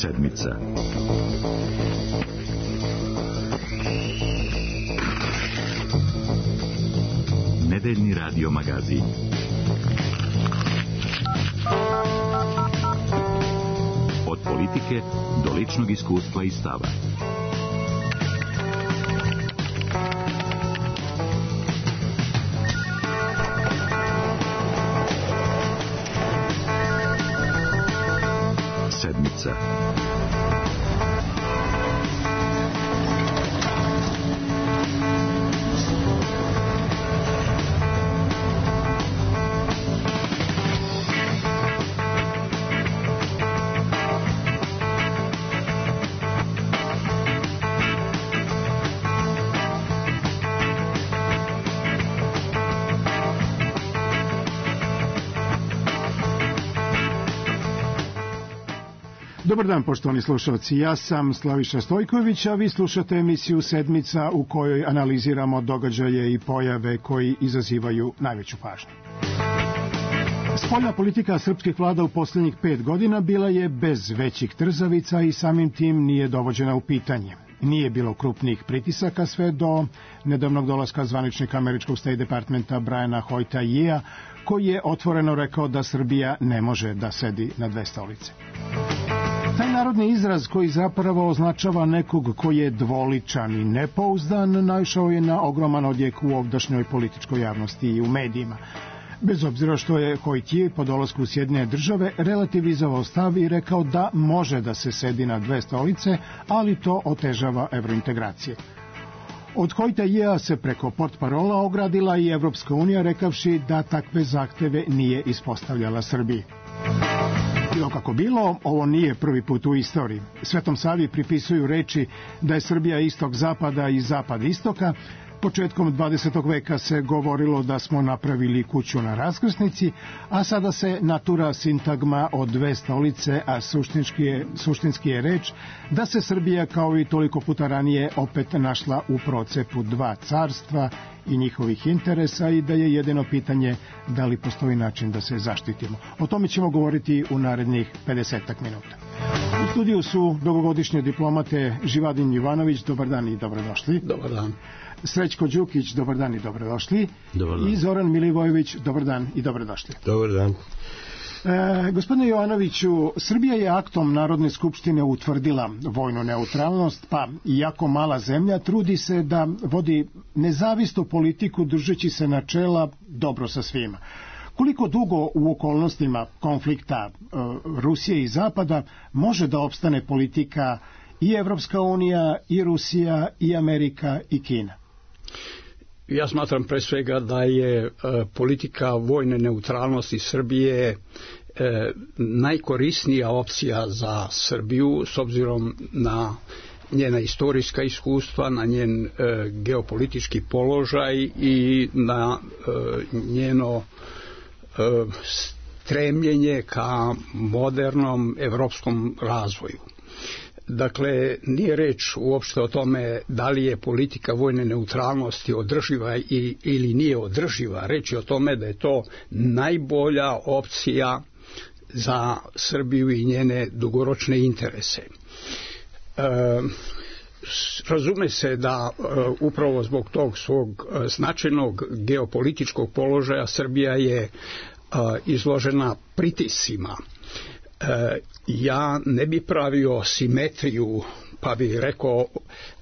Sedmica. Nedeljni radio magazin. Od politike do ličnog iskustva i stava. Sedmica. Dobar dan, poštovani slušalci. Ja sam Slaviša Stojković, a vi slušate emisiju Sedmica u kojoj analiziramo događaje i pojave koji izazivaju najveću pažnju. Spoljna politika srpskih vlada u posljednjih 5 godina bila je bez većih trzavica i samim tim nije dovođena u pitanje. Nije bilo krupnih pritisaka sve do nedavnog dolaska zvaničnika američkog State Departmenta Briana Hoyta-Yea, koji je otvoreno rekao da Srbija ne može da sedi na dve stolice. Taj narodni izraz koji zapravo označava nekog koji je dvoličan i nepouzdan naišao je na ogroman odjek u ovdašnjoj političkoj javnosti i u medijima. Bez obzira što je Hoyt-Yea po dolasku u Sjedinjene Države relativizovao stav i rekao da može da se sedi na dve stolice, ali to otežava evrointegracije. Od Hoyta-Yea se preko portparola ogradila i Evropska unija rekavši da takve zahteve nije ispostavljala Srbiji. Bilo kako bilo, ovo nije prvi put u istoriji. Svetom Savi pripisuju reči da je Srbija istok zapada i zapad istoka. Početkom 20. veka se govorilo da smo napravili kuću na raskrsnici, a sada se natura sintagma od dve stolice, a suštinski je reč da se Srbija kao i toliko puta ranije opet našla u procepu dva carstva i njihovih interesa i da je jedino pitanje da li postoji način da se zaštitimo. O tome ćemo govoriti u narednih 50 minuta. U studiju su dugogodišnje diplomate Živadin Jovanović, dobar dan i dobrodošli. Dobar dan. Srećko Đukić, dobar dan i dobrodošli. Dobar dan. I Zoran Milivojević, dobar dan i dobrodošli. Dobar dan. Gospodine Jovanoviću, Srbija je aktom Narodne skupštine utvrdila vojnu neutralnost, pa iako mala zemlja trudi se da vodi nezavisnu politiku držeći se načela dobro sa svima. Koliko dugo u okolnostima konflikta Rusije i Zapada može da opstane politika i Evropska unija, i Rusija, i Amerika, i Kina? Ja smatram pre svega da je politika vojne neutralnosti Srbije najkorisnija opcija za Srbiju s obzirom na njena istorijska iskustva, na njen geopolitički položaj i na njeno stremljenje ka modernom evropskom razvoju. Dakle, nije reč uopšte o tome da li je politika vojne neutralnosti održiva ili nije održiva. Reč je o tome da je to najbolja opcija za Srbiju i njene dugoročne interese. Razume se da upravo zbog tog svog značajnog geopolitičkog položaja Srbija je izložena pritiscima. Ja ne bi pravio simetriju, pa bih rekao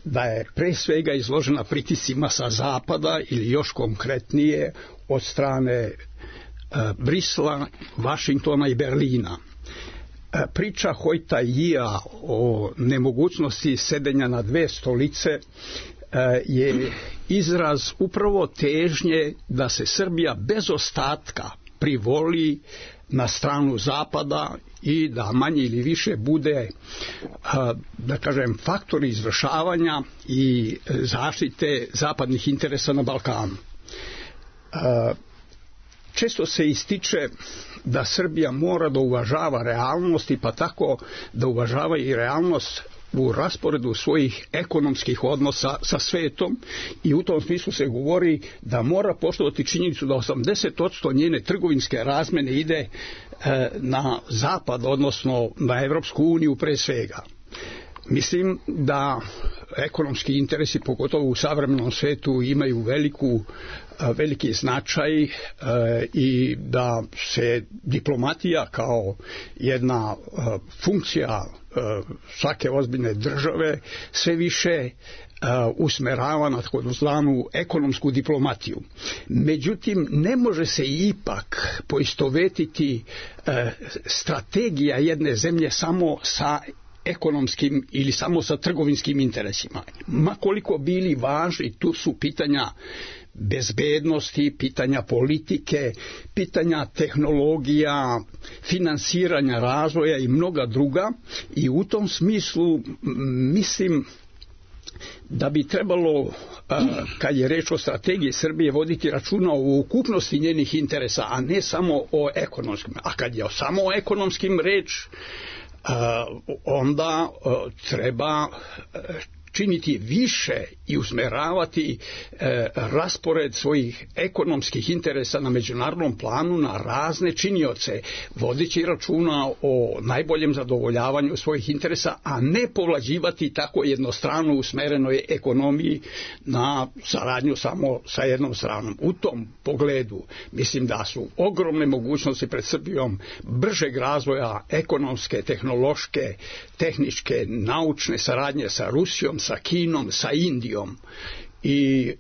da je pre svega izložena pritiscima sa zapada ili još konkretnije od strane Brisela, Vašingtona i Berlina. Priča Hoyta-Yea o nemogućnosti sedenja na dve stolice je izraz upravo težnje da se Srbija bez ostatka privoli na stranu Zapada i da manje ili više bude, da kažem, faktor izvršavanja i zaštite zapadnih interesa na Balkanu. Često se ističe da Srbija mora da uvažava realnosti, pa tako da uvažava i realnost u rasporedu svojih ekonomskih odnosa sa svetom i u tom smislu se govori da mora poštovati činjenicu da 80% njene trgovinske razmene ide na zapad, odnosno na Evropsku uniju pre svega. Mislim da ekonomski interesi, pogotovo u savremenom svetu, imaju veliki značaj i da se diplomatija kao jedna funkcija svake ozbiljne države sve više usmerava na takozvanu ekonomsku diplomatiju. Međutim, ne može se ipak poistovetiti strategija jedne zemlje samo sa ekonomskim ili samo sa trgovinskim interesima. Ma koliko bili važni, tu su pitanja bezbednosti, pitanja politike, pitanja tehnologija, finansiranja razvoja i mnoga druga, i u tom smislu mislim da bi trebalo, kad je reč o strategiji Srbije, voditi računa o ukupnosti njenih interesa, a ne samo o ekonomskim. A kad je samo o ekonomskim reč, onda treba činiti više i usmeravati raspored svojih ekonomskih interesa na međunarodnom planu na razne činioce, vodeći računa o najboljem zadovoljavanju svojih interesa, a ne povlađivati tako jednostrano usmerenoj ekonomiji na saradnju samo sa jednom stranom. U tom pogledu mislim da su ogromne mogućnosti pred Srbijom bržeg razvoja ekonomske, tehnološke, tehničke, naučne saradnje sa Rusijom, sa Kinom, sa Indijom, i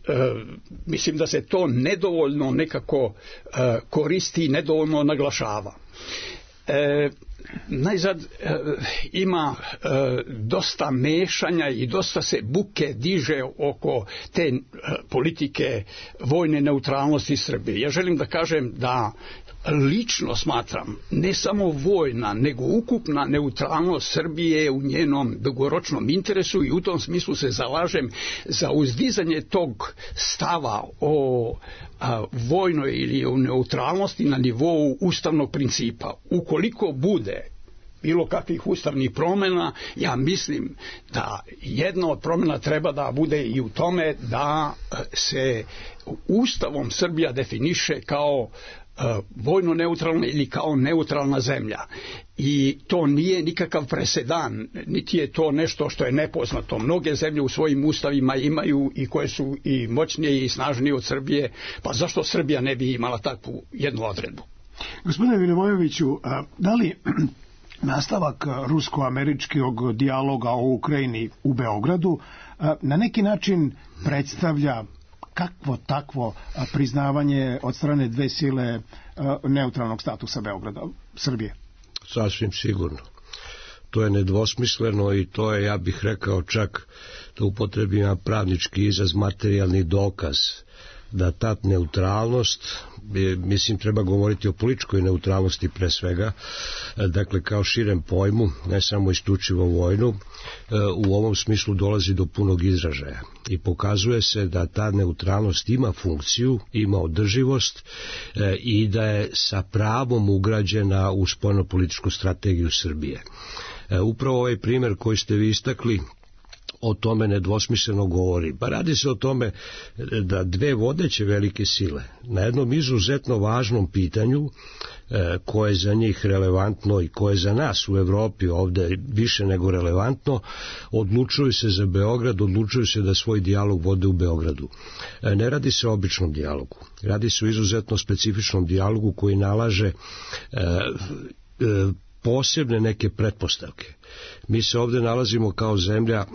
mislim da se to nedovoljno nekako koristi i nedovoljno naglašava. Najzad ima dosta mešanja i dosta se buke diže oko te politike vojne neutralnosti Srbije. Ja želim da kažem da lično smatram ne samo vojna, nego ukupna neutralnost Srbije u njenom dugoročnom interesu, i u tom smislu se zalažem za uzdizanje tog stava o vojnoj ili o neutralnosti na nivou ustavnog principa. Ukoliko bude bilo kakvih ustavnih promjena, ja mislim da jedna od promjena treba da bude i u tome da se Ustavom Srbija definiše kao vojno neutralna ili kao neutralna zemlja. I to nije nikakav presedan, niti je to nešto što je nepoznato. Mnoge zemlje u svojim ustavima imaju i koje su i moćnije i snažnije od Srbije, pa zašto Srbija ne bi imala takvu jednu odredbu? Gospodine Milivojeviću, da li nastavak rusko-američkog dijaloga o Ukrajini u Beogradu na neki način predstavlja kakvo takvo priznavanje od strane dve sile neutralnog statusa Beograda, Srbije? Sasvim sigurno. To je nedvosmisleno i to je, ja bih rekao, čak da upotrebim pravnički izraz, materijalni dokaz da ta neutralnost, mislim treba govoriti o političkoj neutralnosti pre svega, dakle kao širem pojmu, ne samo isključivo vojnu, u ovom smislu dolazi do punog izražaja i pokazuje se da ta neutralnost ima funkciju, ima održivost i da je sa pravom ugrađena u spoljnopolitičku strategiju Srbije. Upravo ovaj primjer koji ste vi istakli o tome nedvosmisleno govori. Pa radi se o tome da dve vodeće velike sile na jednom izuzetno važnom pitanju koje je za njih relevantno i koje je za nas u Evropi ovde više nego relevantno, odlučuju se za Beograd, odlučuju se da svoj dijalog vode u Beogradu. Ne radi se o običnom dijalogu, radi se o izuzetno specifičnom dijalogu koji nalaže posebne neke pretpostavke. Mi se ovde nalazimo kao zemlja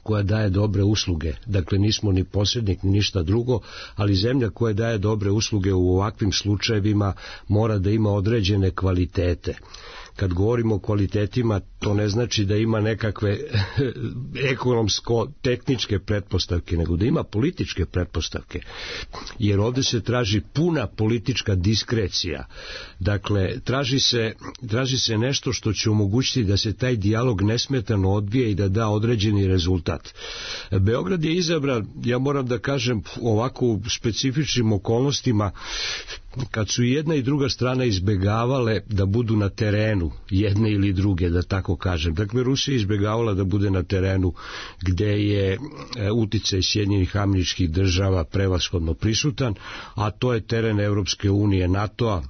koja daje dobre usluge, dakle nismo ni posrednik ni ništa drugo, ali zemlja koja daje dobre usluge u ovakvim slučajevima mora da ima određene kvalitete. Kad govorimo o kvalitetima, to ne znači da ima nekakve ekonomsko-tehničke pretpostavke, nego da ima političke pretpostavke, jer ovdje se traži puna politička diskrecija. Dakle, traži se nešto što će omogućiti da se taj dijalog nesmetano odvije i da da određeni rezultat. Beograd je izabran, ja moram da kažem, ovako u specifičnim okolnostima, kad su jedna i druga strana izbegavale da budu na terenu jedne ili druge, da tako kažem. Dakle, Rusija je izbegavala da bude na terenu gde je uticaj Sjedinjenih Američkih Država prevashodno prisutan, a to je teren Evropske unije, NATO-a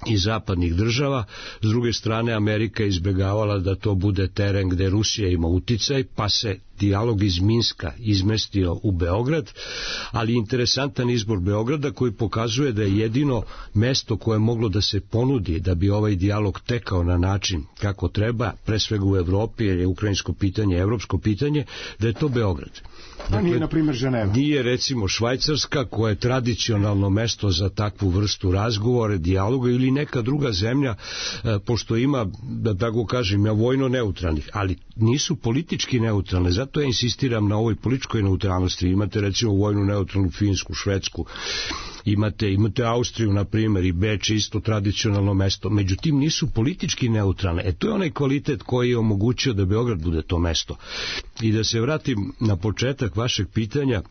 i zapadnih država. S druge strane, Amerika je izbegavala da to bude teren gde Rusija ima uticaj, pa se dijalog iz Minska izmestio u Beograd, ali interesantan izbor Beograda koji pokazuje da je jedino mesto koje je moglo da se ponudi da bi ovaj dijalog tekao na način kako treba, pre svega u Evropi, jer je ukrajinsko pitanje evropsko pitanje, da je to Beograd. Dakle, nije, na primjer, Ženeva. Nije, recimo, Švajcarska, koja je tradicionalno mesto za takvu vrstu razgovora, dijaloga, ili neka druga zemlja, pošto ima, da tako kažem, vojno neutralnih, ali nisu politički neutralne. Zato ja insistiram na ovoj političkoj neutralnosti. Imate, recimo, vojnu neutralnu Finsku, Švedsku, imate Austriju, na primjer, i Beč, isto tradicionalno mesto. Međutim, nisu politički neutralne. To je onaj kvalitet koji je omogućio da Beograd bude to mesto. I da se vratim na početak vašeg pitanja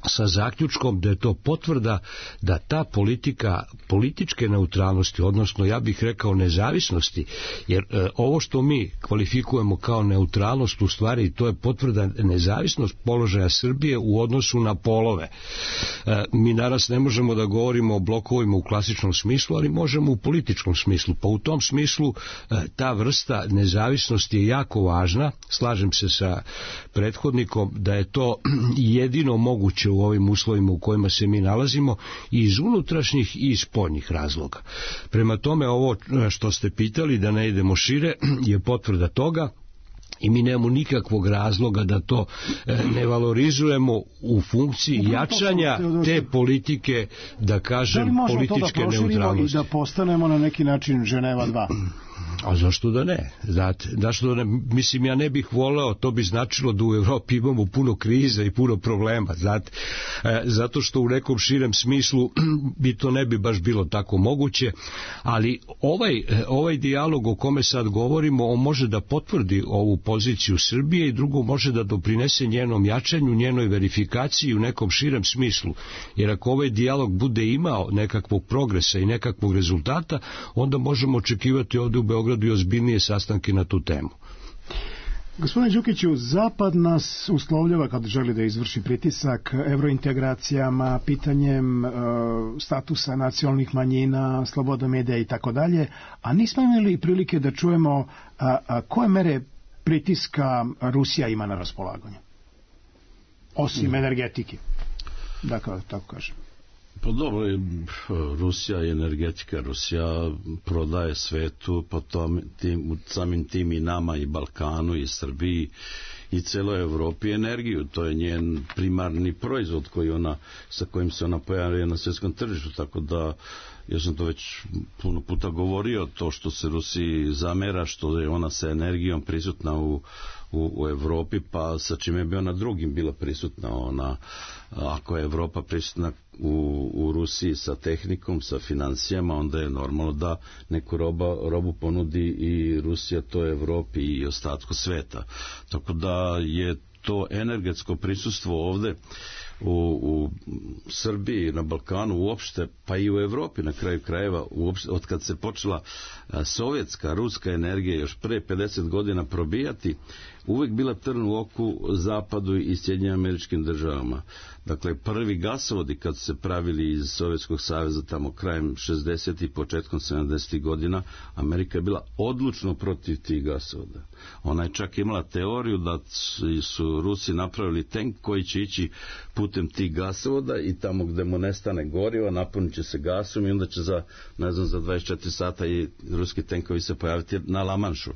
sa zaključkom da je to potvrda da ta politika političke neutralnosti, odnosno ja bih rekao nezavisnosti, jer ovo što mi kvalifikujemo kao neutralnost, u stvari to je potvrda nezavisnost položaja Srbije u odnosu na polove. Mi danas ne možemo da govorimo o blokovima u klasičnom smislu, ali možemo u političkom smislu, pa u tom smislu ta vrsta nezavisnosti je jako važna. Slažem se sa prethodnikom da je to jedino moguće u ovim uslovima u kojima se mi nalazimo, i iz unutrašnjih i iz spoljnih razloga. Prema tome, ovo što ste pitali, da ne idemo šire, je potvrda toga, i mi nemamo nikakvog razloga da to ne valorizujemo u funkciji jačanja te politike, da kažem, političke neutralnosti. Da li možemo to da proširimo i da postanemo na neki način Ženeva 2? A zašto da ne? Zašto da ne? Mislim, ja ne bih voleo, to bi značilo da u Evropi imamo puno kriza i puno problema, znate. Zato što u nekom širem smislu bi to ne bi baš bilo tako moguće, ali ovaj dijalog o kome sad govorimo, on može da potvrdi ovu poziciju Srbije, i drugo, može da doprinese njenom jačanju, njenoj verifikaciji u nekom širem smislu. Jer ako ovaj dijalog bude imao nekakvog progresa i nekakvog rezultata, onda možemo očekivati ovde u Beogradu i ozbiljnije sastanke na tu temu. Gospodine Đukiću, Zapad nas uslovljava kad želi da izvrši pritisak evrointegracijama, pitanjem statusa nacionalnih manjina, sloboda medija i tako dalje, a nismo imali prilike da čujemo koje mere pritiska Rusija ima na raspolaganju, osim energetike, dakle, tako kažem. Pa dobro, Rusija je energetika, Rusija prodaje svetu, pa samim tim i nama, i Balkanu, i Srbiji, i celoj Evropi energiju. To je njen primarni proizvod sa kojim se ona pojavlja na svjetskom tržištu, tako da ja sam to već puno puta govorio, to što se Rusiji zamera, što je ona sa energijom prisutna u Evropi, pa sa čime bi ona drugim bila prisutna. Ako je Evropa prisutna u Rusiji sa tehnikom, sa financijama, onda je normalno da neku robu ponudi i Rusija to Evropi i ostatku sveta. Tako da je to energetsko prisustvo ovde u Srbiji, na Balkanu uopšte, pa i u Evropi na kraju krajeva, od kad se počela sovjetska, ruska energija još pre 50 godina probijati, uvek bila trn u oku Zapadu i Sjedinjenim Američkim Državama. Dakle, prvi gasovodi kad su se pravili iz Sovjetskog saveza tamo krajem 60. i početkom 70. godina, Amerika je bila odlučno protiv tih gasovoda. Ona je čak imala teoriju da su Rusi napravili tank koji će ići putem tih gasovoda i tamo gde mu nestane goriva, napunit će se gasom i onda će za 24 sata i ruski tenkovi se pojaviti na Lamanšu.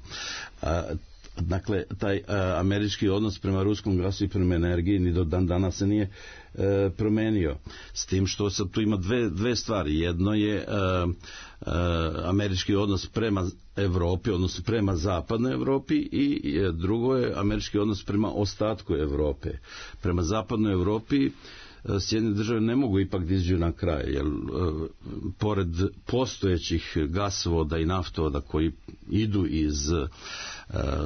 Dakle, taj američki odnos prema ruskom gasu i prema energiji ni do dan danas se nije promenio. S tim što sad tu ima dve stvari. Jedno je američki odnos prema Evropi, odnosno prema zapadnoj Evropi, i drugo je američki odnos prema ostatku Evrope. Prema zapadnoj Evropi Sjedinjene države ne mogu ipak da izađu na kraj, jer pored postojećih gasovoda i naftovoda koji idu iz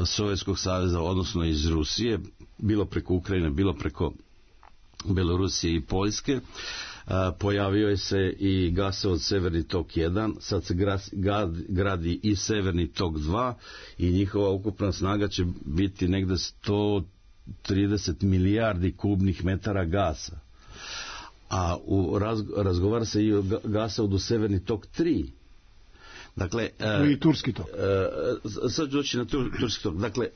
Sovjetskog saveza, odnosno iz Rusije, bilo preko Ukrajine, bilo preko Belorusije i Poljske, pojavio je se i gasovod Severni tok 1, sad se gradi i Severni tok 2 i njihova ukupna snaga će biti negde 130 milijardi kubnih metara gasa. A razgovara se i o gasovodu Severni tok 3. Dakle, i turski tok. Sad doći na turski tok. Dakle,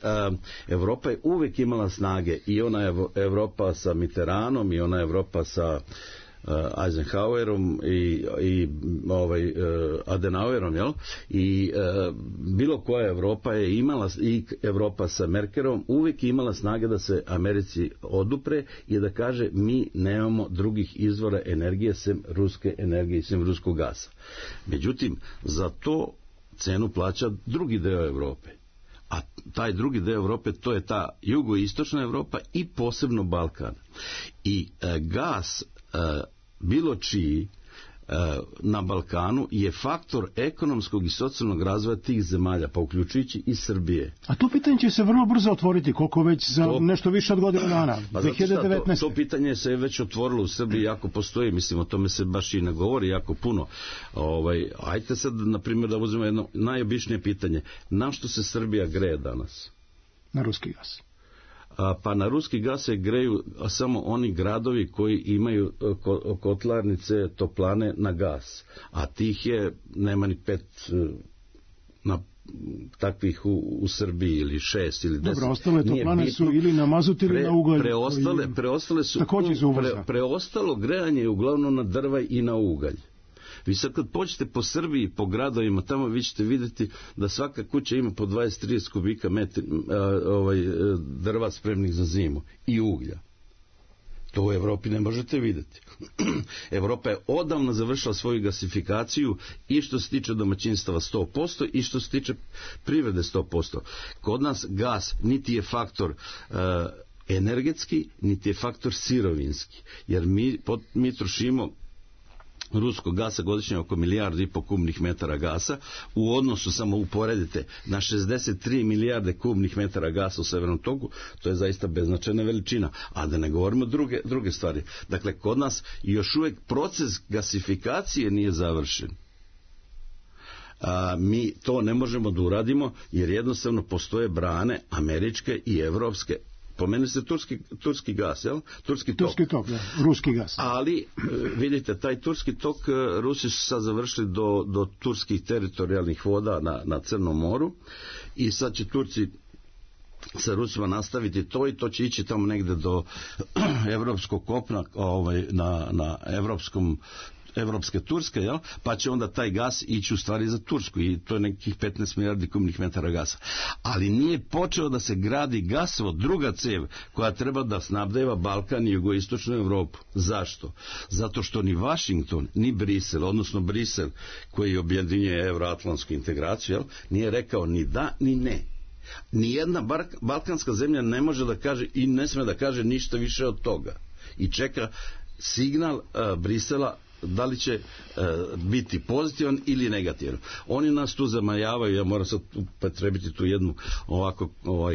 Evropa je uvek imala snage, i ona je Evropa sa Mitterrandom, i ona je Evropa sa Eisenhowerom i Adenauerom, jel? I bilo koja Evropa je imala, i Evropa sa Merkelom uvijek imala snage da se Americi odupre i da kaže mi nemamo drugih izvora energije sem ruske energije i sem ruskog gasa. Međutim, za to cenu plaća drugi deo Evrope. A taj drugi deo Evrope, to je ta jugoistočna Evropa i posebno Balkan. I gas bilo čiji na Balkanu je faktor ekonomskog i socijalnog razvoja tih zemalja, pa uključujući i Srbije. A to pitanje će se vrlo brzo otvoriti, koliko već za nešto više od godinu dana, 2019. To pitanje se već otvorilo u Srbiji, jako postoji, mislim, o tome se baš i ne govori jako puno. Ajte sad, na primjer, da uzmemo jedno najobičnije pitanje. Na što se Srbija greje danas? Na ruski gas. Pa na ruski gas se greju samo oni gradovi koji imaju kotlarnice, toplane na gas. A tih je, nema ni 5 takvih u Srbiji, ili 6 ili 10. Dobro, ostale toplane su ili na mazut ili na ugalj. Preostale su preostalo grejanje je uglavnom na drva i na ugalj. Vi sad kad pođete po Srbiji, po gradovima, tamo vi ćete vidjeti da svaka kuća ima po 20-30 kubika drva spremnih za zimu i uglja. To u Evropi ne možete vidjeti. Evropa je odavno završila svoju gasifikaciju i što se tiče domaćinstava 100% i što se tiče privrede 100%. Kod nas gas niti je faktor energetski, niti je faktor sirovinski. Jer mi trošimo ruskog gasa godišnje oko 1,5 milijardi kubnih metara gasa, u odnosu, samo uporedite, na 63 milijarde kubnih metara gasa u Severnom toku, to je zaista beznačajna veličina, a da ne govorimo druge stvari. Dakle, kod nas još uvijek proces gasifikacije nije završen. Mi to ne možemo da uradimo, jer jednostavno postoje brane američke i evropske. Pomenu se turski gas, jel? Turski tok, da, ruski gas. Ali, vidite, taj turski tok, Rusi su sad završili do turskih teritorijalnih voda na Crnom moru i sad će Turci sa Rusima nastaviti to i to će ići tamo negde do evropskog kopna, na evropske Turske, jel? Pa će onda taj gas ići u stvari za Tursku i to je nekih 15 milijardi kubnih metara gasa. Ali nije počeo da se gradi gasovod, druga cev koja treba da snabdeva Balkan i jugoistočnu Evropu. Zašto? Zato što ni Washington, ni Brisel, odnosno Brisel koji objedinjuje evroatlantsku integraciju, jel? Nije rekao ni da ni ne. Nijedna balkanska zemlja ne može da kaže i ne sme da kaže ništa više od toga. I čeka signal Brisela da li će biti pozitivan ili negativan. Oni nas tu zamajavaju, ja moram sad upotrebiti tu jednu ovako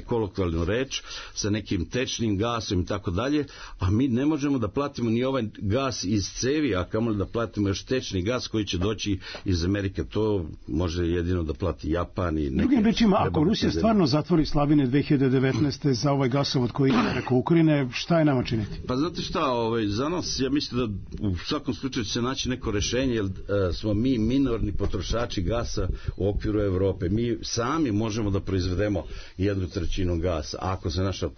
kolokvijalnu reč, sa nekim tečnim gasom i tako dalje, a mi ne možemo da platimo ni ovaj gas iz cevi, a kamoli da platimo još tečni gas koji će doći iz Amerike. To može jedino da plati Japan i neke... Drugim rečima, ako Rusija stvarno zatvori slavine 2019. za ovaj gasovod koji ide preko Ukrajine, šta je nama činiti? Pa znate šta, za nas, ja mislim da u svakom slučaju se naći neko rešenje, jer smo mi minorni potrošači gasa u okviru Evrope. Mi sami možemo da proizvedemo 1/3 gasa. Ako se naša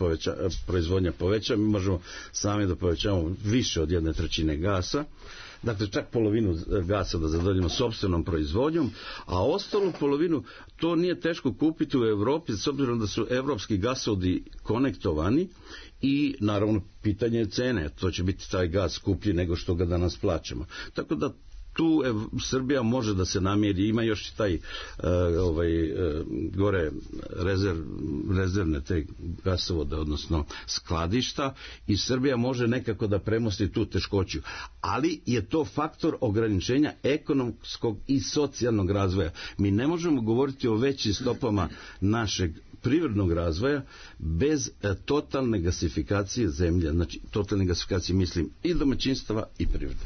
proizvodnja poveća, mi možemo sami da povećamo više od 1/3 gasa. Dakle, čak polovinu gasa da zadovoljimo sopstvenom proizvodnjom, a ostalu polovinu to nije teško kupiti u Evropi, s obzirom da su evropski gasovodi konektovani i naravno pitanje je cene, to će biti taj gas skuplji nego što ga danas plaćamo. Tako da tu Srbija može da se namiri, ima još i taj gore rezervne te gasovode, odnosno skladišta, i Srbija može nekako da premosti tu teškoću. Ali je to faktor ograničenja ekonomskog i socijalnog razvoja. Mi ne možemo govoriti o većim stopama našeg privrednog razvoja bez totalne gasifikacije zemlje. Znači, totalne gasifikacije mislim i domaćinstava i privrede.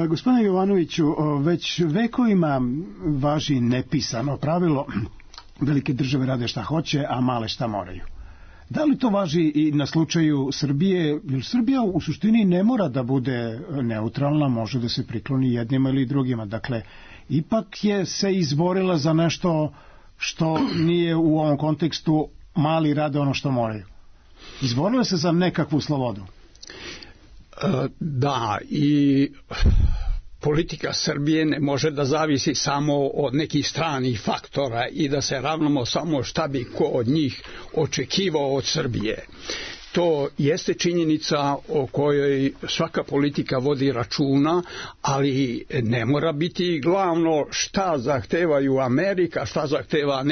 Gospodine Jovanoviću, već vekovima važi nepisano pravilo: velike države rade šta hoće, a male šta moraju. Da li to važi i na slučaju Srbije? Jer Srbija u suštini ne mora da bude neutralna, može da se prikloni jednima ili drugima. Dakle, ipak je se izborila za nešto što nije u ovom kontekstu mali rade ono što moraju. Izborila se za nekakvu slobodu. Da, i politika Srbije ne može da zavisi samo od nekih stranih faktora i da se ravnamo samo šta bi ko od njih očekivao od Srbije. To jeste činjenica o kojoj svaka politika vodi računa, ali ne mora biti glavno šta zahtevaju Amerika, šta zahteva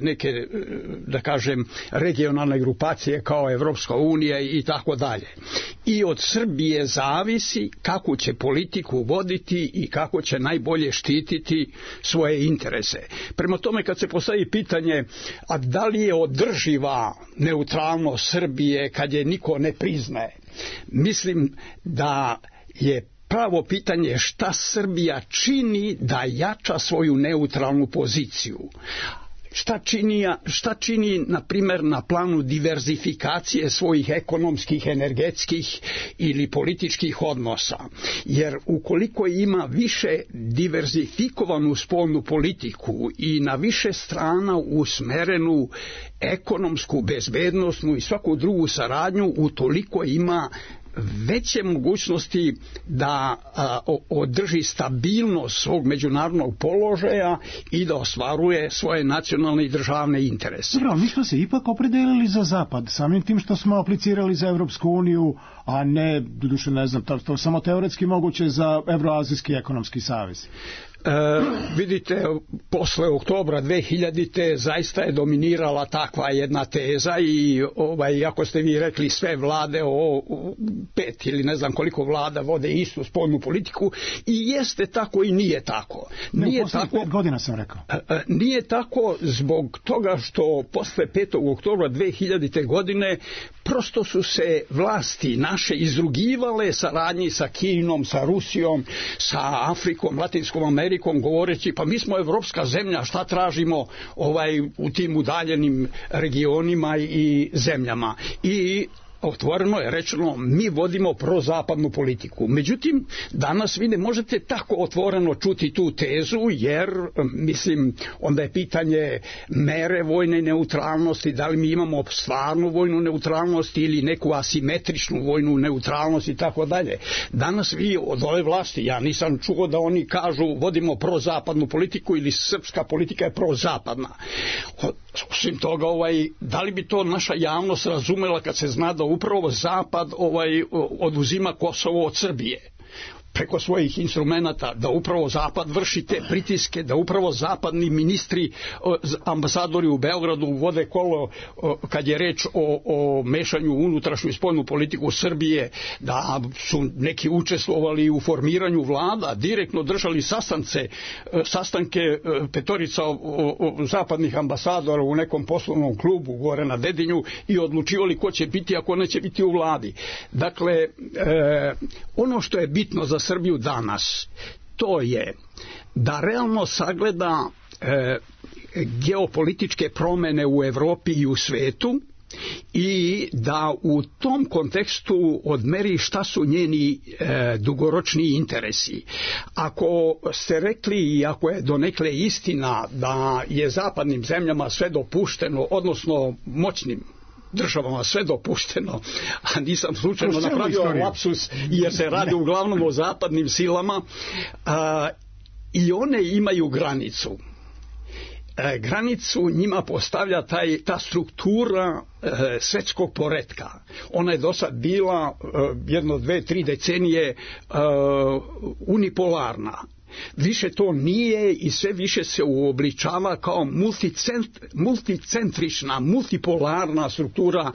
neke da kažem, regionalne grupacije kao Evropska unija i tako dalje. I od Srbije zavisi kako će politiku voditi i kako će najbolje štititi svoje interese. Prema tome, kad se postavi pitanje, a da li je održiva neutralnost Srbije kad je niko ne priznaje, mislim da je pravo pitanje šta Srbija čini da jača svoju neutralnu poziciju. Šta čini, na primjer, na planu diverzifikacije svojih ekonomskih, energetskih ili političkih odnosa. Jer ukoliko ima više diverzifikovanu spoljnu politiku i na više strana usmerenu ekonomsku, bezbednosnu i svaku drugu saradnju, utoliko ima veće mogućnosti da održi stabilnost svog međunarodnog položaja i da ostvaruje svoje nacionalne i državne interese. Dobro, mi smo se ipak opredelili za Zapad, samim tim što smo aplicirali za Evropsku uniju, a ne, doduše ne znam, to samo teoretski moguće za Evroazijski ekonomski savez. Vidite, posle oktobra 2000. zaista je dominirala takva jedna teza i ako ste vi rekli sve vlade, 5 ili ne znam koliko vlada vode istu spoljnu politiku, i jeste tako i nije tako. Nije tako, 5 godina sam rekao. Nije tako zbog toga što posle 5. oktobra 2000. godine prosto su se vlasti naše izrugivale saradnji sa Kinom, sa Rusijom, sa Afrikom, Latinskom Amerikom, govoreći pa mi smo evropska zemlja, šta tražimo u tim udaljenim regionima i zemljama. I otvoreno je rečeno, mi vodimo prozapadnu politiku. Međutim, danas vi ne možete tako otvoreno čuti tu tezu, jer, mislim, onda je pitanje mere vojne neutralnosti, da li mi imamo stvarnu vojnu neutralnost ili neku asimetričnu vojnu neutralnost i tako dalje. Danas vi od ove vlasti, ja nisam čuo da oni kažu vodimo prozapadnu politiku ili srpska politika je prozapadna. Osim toga, da li bi to naša javnost razumela kad se zna da upravo Zapad oduzima Kosovo od Srbije preko svojih instrumenata, da upravo Zapad vrši te pritiske, da upravo zapadni ministri, ambasadori u Beogradu vode kolo kad je reč o mešanju u unutrašnju i spoljnu politiku Srbije, da su neki učestvovali u formiranju vlada, direktno držali sastanke petorica zapadnih ambasadora u nekom poslovnom klubu gore na Dedinju i odlučivali ko će biti, a ko neće biti u vladi. Dakle, ono što je bitno za Srbiju danas, to je da realno sagleda geopolitičke promene u Evropi i u svetu i da u tom kontekstu odmeri šta su njeni dugoročni interesi. Ako ste rekli i ako je donekle istina da je zapadnim zemljama sve dopušteno, odnosno moćnim državama sve dopušteno, a nisam slučajno napravio lapsus jer se radi uglavnom o zapadnim silama, i one imaju granicu. Granicu njima postavlja ta struktura svetskog poretka. Ona je do sad bila 1, 2, 3 decenije unipolarna. Više to nije i sve više se uobličava kao multicentrična, multipolarna struktura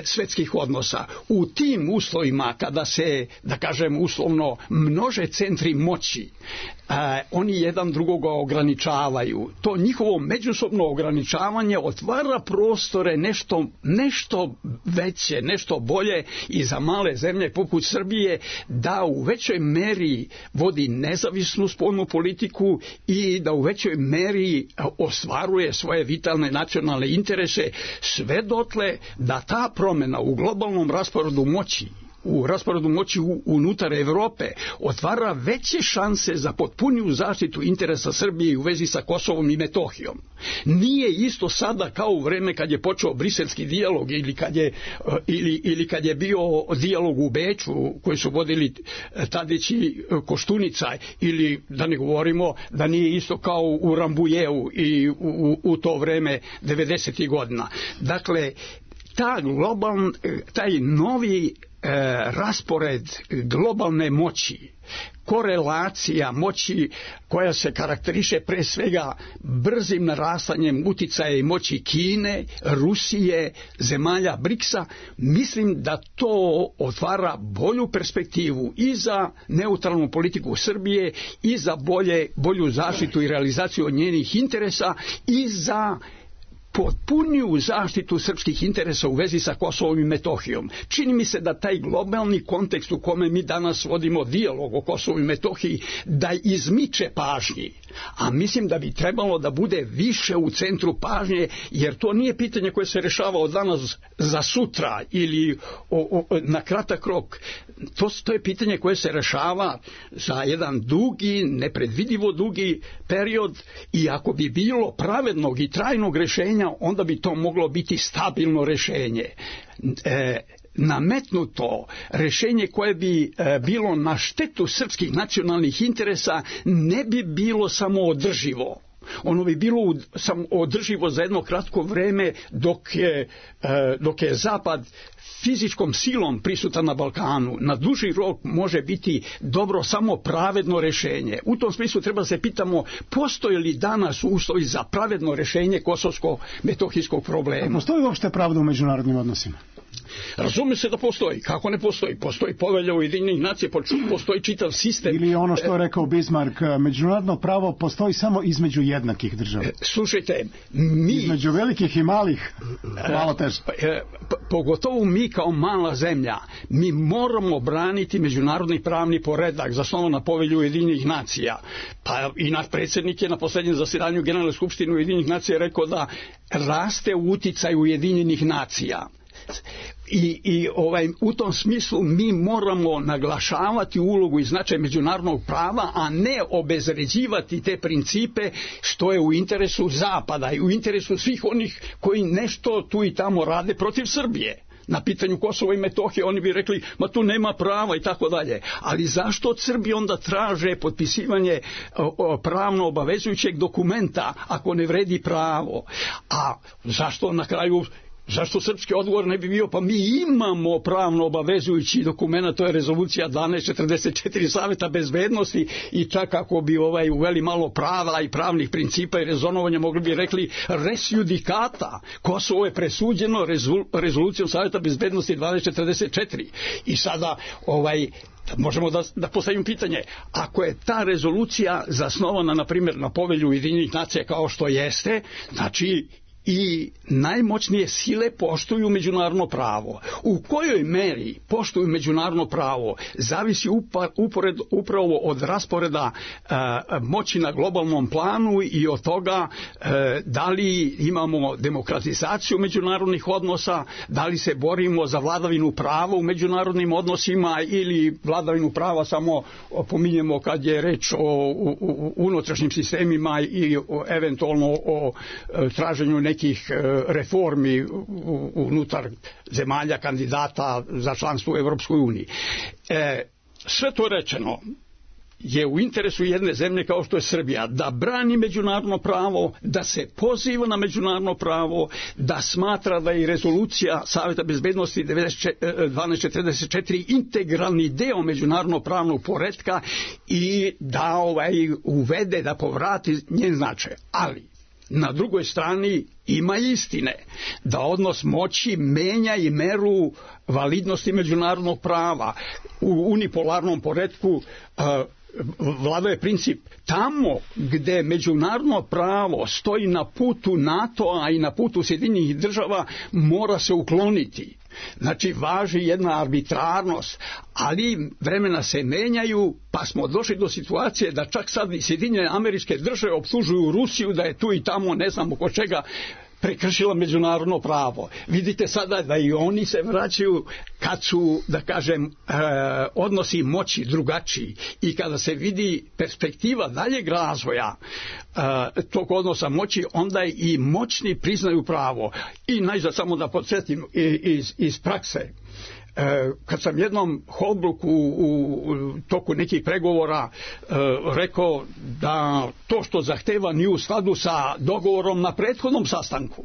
svetskih odnosa. U tim uslovima kada se, da kažem uslovno, množe centri moći, oni jedan drugoga ograničavaju. To njihovo međusobno ograničavanje otvara prostore nešto veće, nešto bolje i za male zemlje poput Srbije da u većoj meri vodi nezavisnu spoljnu politiku i da u većoj meri ostvaruje svoje vitalne nacionalne interese, sve dotle da ta promjena u globalnom rasporedu moći, u rasporedu moći unutar Evrope otvara veće šanse za potpuniju zaštitu interesa Srbije u vezi sa Kosovom i Metohijom. Nije isto sada kao u vreme kad je počeo briselski dijalog ili kad je bio dijalog u Beču koji su vodili Tadić i Koštunica, ili da ne govorimo da nije isto kao u Rambujevu i u to vreme 90. godina. Dakle, taj novi raspored globalne moći, korelacija moći koja se karakteriše pre svega brzim narastanjem uticaja i moći Kine, Rusije, zemalja BRICS-a, mislim da to otvara bolju perspektivu i za neutralnu politiku Srbije i za bolju zaštitu i realizaciju od njenih interesa i za potpuniju zaštitu srpskih interesa u vezi sa Kosovom i Metohijom. Čini mi se da taj globalni kontekst u kome mi danas vodimo dijalog o Kosovu i Metohiji da izmiče pažnji, a mislim da bi trebalo da bude više u centru pažnje, jer to nije pitanje koje se rešava od danas za sutra ili na kratak rok. To je pitanje koje se rešava za jedan dugi, nepredvidivo dugi period, i ako bi bilo pravednog i trajnog rešenja, onda bi to moglo biti stabilno rešenje. Nametnuto rešenje koje bi bilo na štetu srpskih nacionalnih interesa ne bi bilo samo održivo. Ono bi bilo samo održivo za jedno kratko vreme dok je Zapad fizičkom silom prisutan na Balkanu. Na duži rok može biti dobro samo pravedno rešenje. U tom smislu treba se pitamo, postoji li danas uslovi za pravedno rešenje kosovsko-metohijskog problema? Postoji uopšte pravda u međunarodnim odnosima? Razume se da postoji. Kako ne postoji? Postoji povelja Ujedinjenih nacija, postoji čitav sistem. Ili ono što je rekao Bismarck, međunarodno pravo postoji samo između jednakih država. Slušajte, između velikih i malih, malo teže. Pogotovo mi kao mala zemlja, mi moramo braniti međunarodni pravni poredak zasnovan na povelju Ujedinjenih nacija. Pa i naš predsjednik je na posljednjem zasedanju Generalne skupštine Ujedinjenih nacija rekao da raste uticaj Ujedinjenih nacija. U tom smislu mi moramo naglašavati ulogu i značaj međunarodnog prava, a ne obezređivati te principe, što je u interesu Zapada i u interesu svih onih koji nešto tu i tamo rade protiv Srbije. Na pitanju Kosova i Metohije oni bi rekli, ma tu nema prava i tako dalje. Ali zašto od Srbije onda traže potpisivanje pravno obavezujućeg dokumenta ako ne vredi pravo? A zašto na kraju... Zašto srpski odgovor ne bi bio, pa mi imamo pravno obavezujući dokument, to je rezolucija 1244 Saveta bezbednosti, i čak ako bi uveli malo prava i pravnih principa i rezonovanja, mogli bi rekli res judicata, Kosovo je presuđeno rezolucijom Saveta bezbednosti 1244. I sada možemo da postavimo pitanje, ako je ta rezolucija zasnovana na primjer na povelju Ujedinjenih nacija kao što jeste, znači i najmoćnije sile poštuju međunarodno pravo. U kojoj meri poštuju međunarodno pravo zavisi upravo od rasporeda moći na globalnom planu i od toga da li imamo demokratizaciju međunarodnih odnosa, da li se borimo za vladavinu prava u međunarodnim odnosima ili vladavinu prava samo pominjemo kad je reč o unutrašnjim sistemima i eventualno o traženju nekih reformi unutar zemalja kandidata za članstvo u Evropskoj uniji. Sve to rečeno, je u interesu jedne zemlje kao što je Srbija da brani međunarodno pravo, da se poziva na međunarodno pravo, da smatra da je rezolucija Saveta bezbednosti 1244 integralni deo međunarodno pravnog poretka i da uvede, da povrati njen značaj. Ali na drugoj strani ima istine da odnos moći menja i meru validnosti međunarodnog prava. U unipolarnom poretku vladao je princip tamo gde međunarodno pravo stoji na putu NATO-a i na putu Sjedinjenih država mora se ukloniti. Znači važi jedna arbitrarnost, ali vremena se menjaju, pa smo došli do situacije da čak sad i Sjedinjene Američke Države optužuju Rusiju da je tu i tamo ne znam oko čega prekršila međunarodno pravo. Vidite sada da i oni se vraćaju kad su, da kažem, odnosi moći drugačiji i kada se vidi perspektiva daljeg razvoja tog odnosa moći, onda i moćni priznaju pravo. I najzad samo da podsjetim iz prakse. Kad sam jednom Holbrooku u toku nekih pregovora rekao da to što zahteva nije u skladu sa dogovorom na prethodnom sastanku,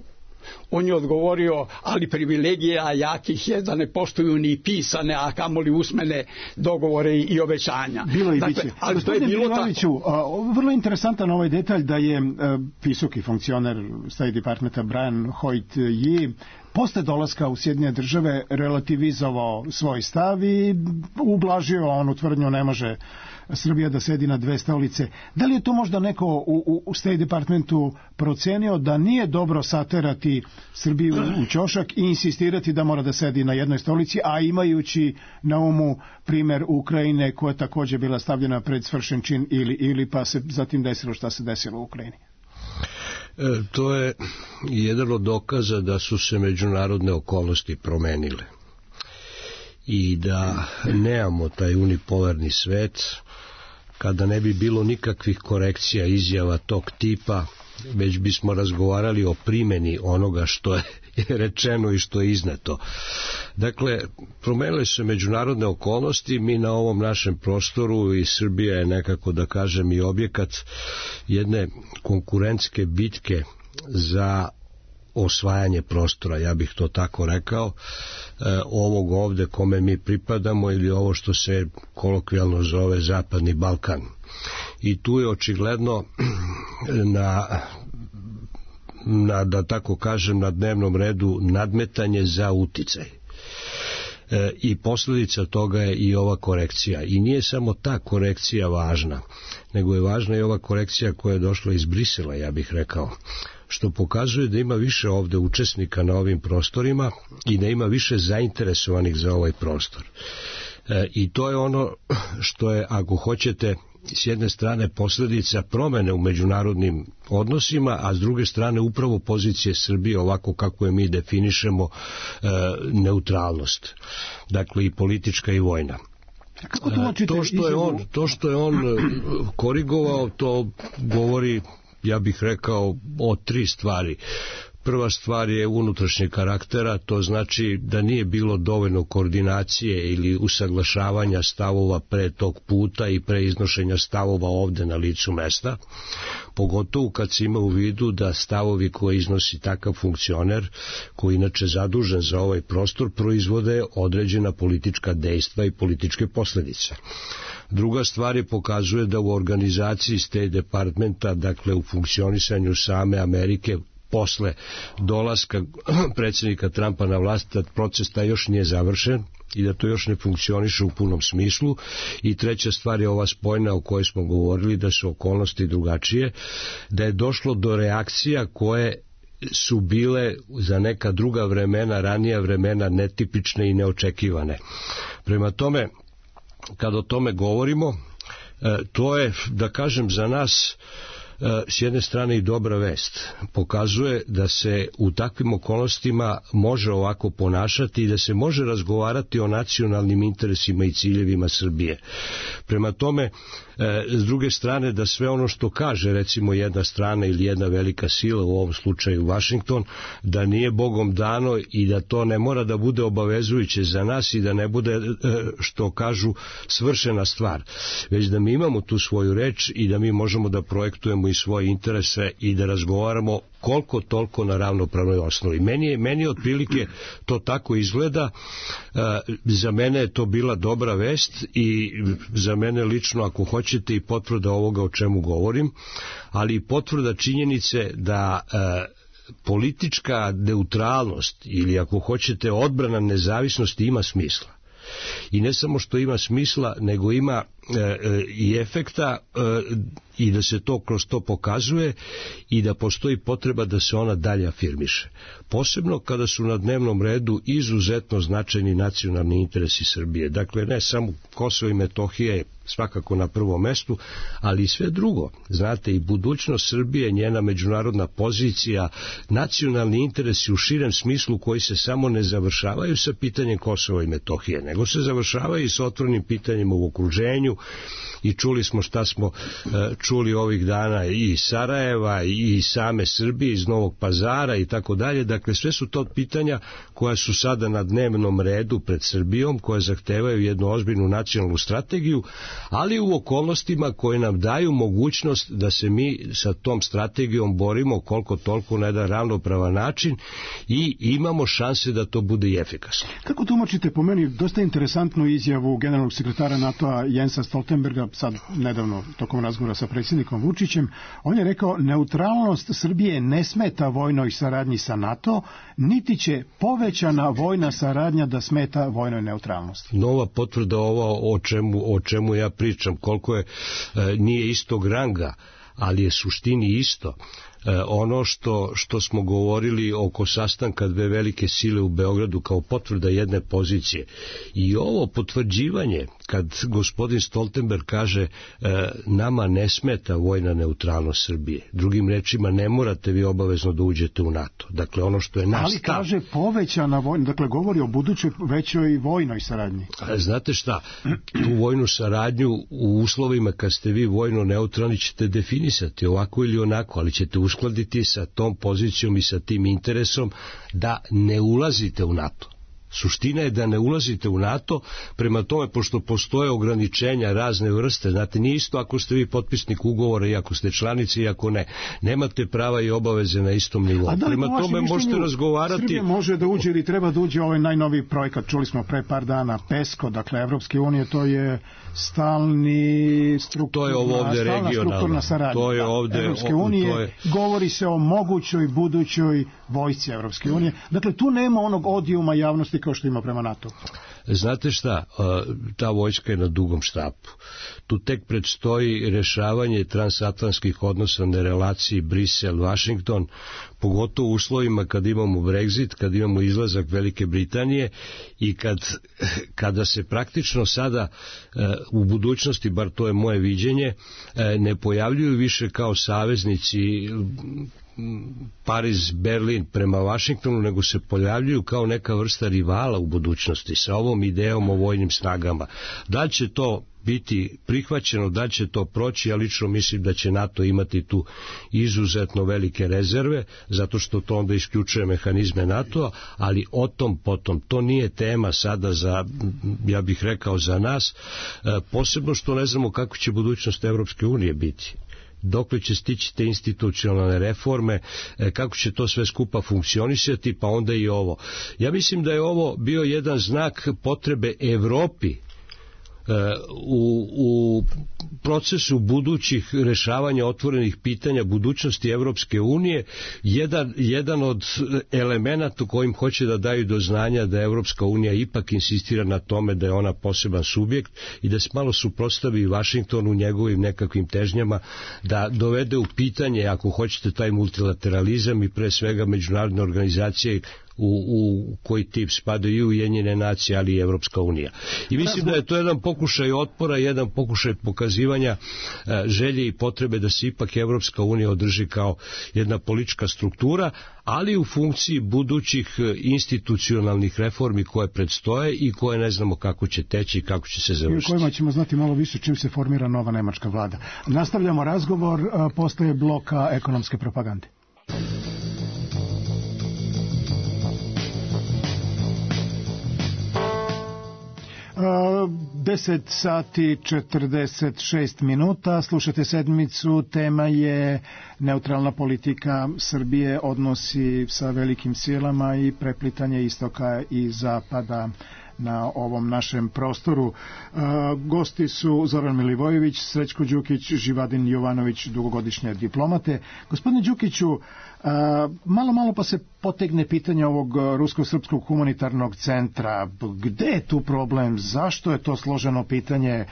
on je odgovorio, ali privilegija jakih je da ne poštuju ni pisane, a kamoli usmene dogovore i obećanja. Bilo i biće. Ali to je bilo tako. Vrlo interesantan ovaj detalj da je visoki funkcioner State Departmenta Brian Hoyt je posle dolaska u Sjedinjene Države relativizovao svoj stav i ublažio onu tvrdnju ne može Srbija da sedi na dve stolice. Da li je to možda neko u State Departmentu procenio da nije dobro saterati Srbiju u ćošak i insistirati da mora da sedi na jednoj stolici, a imajući na umu primer Ukrajine koja je također bila stavljena pred svršen čin ili pa se zatim desilo šta se desilo u Ukrajini? To je jedan od dokaza da su se međunarodne okolnosti promenile i da nemamo taj unipolarni svet kada ne bi bilo nikakvih korekcija izjava tog tipa, već bismo razgovarali o primjeni onoga što je rečeno i što je izneto. Dakle, promenile su međunarodne okolnosti, mi na ovom našem prostoru i Srbija je nekako, da kažem, i objekat jedne konkurentske bitke za osvajanje prostora, ja bih to tako rekao, ovog ovde kome mi pripadamo ili ovo što se kolokvijalno zove Zapadni Balkan. I tu je očigledno da tako kažem, na dnevnom redu nadmetanje za uticaj. I posljedica toga je i ova korekcija. I nije samo ta korekcija važna, nego je važna i ova korekcija koja je došla iz Brisela, ja bih rekao, što pokazuje da ima više ovde učesnika na ovim prostorima i da ima više zainteresovanih za ovaj prostor. I to je ono što je, ako hoćete, s jedne strane posljedica promene u međunarodnim odnosima, a s druge strane upravo pozicije Srbije ovako kako je mi definišemo neutralnost. Dakle i politička i vojna. To što je on korigovao, to govori, ja bih rekao, o tri stvari. Prva stvar je unutrašnjeg karaktera, to znači da nije bilo dovoljno koordinacije ili usaglašavanja stavova pre tog puta i pre iznošenja stavova ovde na licu mesta, pogotovo kad se ima u vidu da stavovi koje iznosi takav funkcioner, koji inače zadužen za ovaj prostor, proizvode određena politička dejstva i političke posljedice. Druga stvar je pokazuje da u organizaciji State Departmenta, dakle u funkcionisanju same Amerike, posle dolaska predsjednika Trumpa na vlast, da proces taj još nije završen i da to još ne funkcioniše u punom smislu. I treća stvar je ova spojna o kojoj smo govorili, da su okolnosti drugačije, da je došlo do reakcija koje su bile za neka druga vremena, ranija vremena, netipične i neočekivane. Prema tome, kad o tome govorimo, to je, da kažem, za nas s jedne strane i dobra vest. Pokazuje da se u takvim okolnostima može ovako ponašati i da se može razgovarati o nacionalnim interesima i ciljevima Srbije. Prema tome, s druge strane, da sve ono što kaže recimo jedna strana ili jedna velika sila, u ovom slučaju Vašington, da nije Bogom dano i da to ne mora da bude obavezujuće za nas i da ne bude, što kažu, svršena stvar, već da mi imamo tu svoju reč i da mi možemo da projektujemo i svoje interese i da razgovaramo koliko toliko na ravnopravnoj osnovi. Meni otprilike to tako izgleda. Za mene je to bila dobra vest i za mene lično, ako hoćete, i potvrda ovoga o čemu govorim, ali i potvrda činjenice da politička neutralnost ili, ako hoćete, odbrana nezavisnosti ima smisla. I ne samo što ima smisla, nego ima i efekta i da se to kroz to pokazuje i da postoji potreba da se ona dalje afirmiše. Posebno kada su na dnevnom redu izuzetno značajni nacionalni interesi Srbije. Dakle, ne samo Kosovo i Metohija je svakako na prvom mestu, ali i sve drugo. Znate, i budućnost Srbije, njena međunarodna pozicija, nacionalni interesi u širem smislu koji se samo ne završavaju sa pitanjem Kosova i Metohije, nego se završavaju i sa otvorenim pitanjima u okruženju. I čuli smo šta smo čuli ovih dana i iz Sarajeva i same Srbije, iz Novog Pazara i tako dalje. Dakle, sve su to pitanja koja su sada na dnevnom redu pred Srbijom, koje zahtevaju jednu ozbiljnu nacionalnu strategiju, ali u okolnostima koje nam daju mogućnost da se mi sa tom strategijom borimo koliko toliko na jedan ravnopravan način i imamo šanse da to bude i efikasno. Kako tumačite, po meni, dosta interesantnu izjavu generalnog sekretara NATO-a Jensa Stoltenberga, sad nedavno tokom razgovora sa predsjednikom Vučićem? On je rekao: neutralnost Srbije ne smeta vojnoj saradnji sa NATO, niti će povećana vojna saradnja da smeta vojnoj neutralnosti. Nova potvrda ova o čemu ja pričam, koliko je, nije istog ranga, ali je suštini isto. Ono što smo govorili oko sastanka dve velike sile u Beogradu kao potvrda jedne pozicije. I ovo potvrđivanje, kad gospodin Stoltenberg kaže nama ne smeta vojna neutralnost Srbije. Drugim rečima, ne morate vi obavezno da uđete u NATO. Dakle, ono što je naš stav. Ali kaže povećana vojna, dakle govori o budućoj većoj vojnoj saradnji. Znate šta, tu vojnu saradnju u uslovima kad ste vi vojno neutralni ćete definisati ovako ili onako, ali ćete uskladiti sa tom pozicijom i sa tim interesom da ne ulazite u NATO. Suština je da ne ulazite u NATO, prema tome, pošto postoje ograničenja razne vrste, znate, nije isto ako ste vi potpisnik ugovora i ako ste članici i ako ne. Nemate prava i obaveze na istom nivou. Prema tome možete razgovarati... Srbija može da uđe ili treba da uđe ovaj najnoviji projekat, čuli smo pre par dana, PESCO, dakle Evropske unije, to je stalni strukturna saradnja. To je ovde, Evropske unije, govori se o mogućoj budućoj vojsci Evropske unije. Dakle, tu nema onog odijuma javnosti kao što ima prema NATO. Znate šta, ta vojska je na dugom štapu. Tu tek predstoji rešavanje transatlantskih odnosa na relaciji Brisel-Vašington, pogotovo u uslovima kad imamo Brexit, kad imamo izlazak Velike Britanije i kada se praktično sada u budućnosti, bar to je moje viđenje, ne pojavljuju više kao saveznici Pariz, Berlin prema Vašingtonu, nego se pojavljuju kao neka vrsta rivala u budućnosti sa ovom idejom o vojnim snagama. Da li će to biti prihvaćeno, da će to proći, ja lično mislim da će NATO imati tu izuzetno velike rezerve, zato što to onda isključuje mehanizme NATO-a, ali o tom potom, to nije tema sada za, ja bih rekao, za nas, posebno što ne znamo kako će budućnost Evropske unije biti. Dokle će stići te institucionalne reforme, kako će to sve skupa funkcionisati, pa onda i ovo. Ja mislim da je ovo bio jedan znak potrebe Evropi u procesu budućih rešavanja otvorenih pitanja budućnosti Evropske unije, jedan od elemenata kojim hoće da daju do znanja da Evropska unija ipak insistira na tome da je ona poseban subjekt i da se malo suprotstavi Vašingtonu u njegovim nekakvim težnjama, da dovede u pitanje, ako hoćete, taj multilateralizam i pre svega međunarodne organizacije u koji tip spadaju i Ujedinjene nacije, ali i Evropska unija. I mislim da je to jedan pokušaj otpora, jedan pokušaj pokazivanja želje i potrebe da se ipak Evropska unija održi kao jedna politička struktura, ali u funkciji budućih institucionalnih reformi koje predstoje i koje ne znamo kako će teći i kako će se završiti. I u kojima ćemo znati malo više čim se formira nova nemačka vlada. Nastavljamo razgovor posle bloka ekonomske propagande. 10 sati 46 minuta, slušate sedmicu, tema je neutralna politika Srbije, odnosi sa velikim silama i preplitanje istoka i zapada na ovom našem prostoru. Gosti su Zoran Milivojević, Srećko Đukić, Živadin Jovanović, dugogodišnje diplomate. Gospodine Đukiću, malo pa se potegne pitanje ovog Rusko-srpskog humanitarnog centra. Gde je tu problem? Zašto je to složeno pitanje?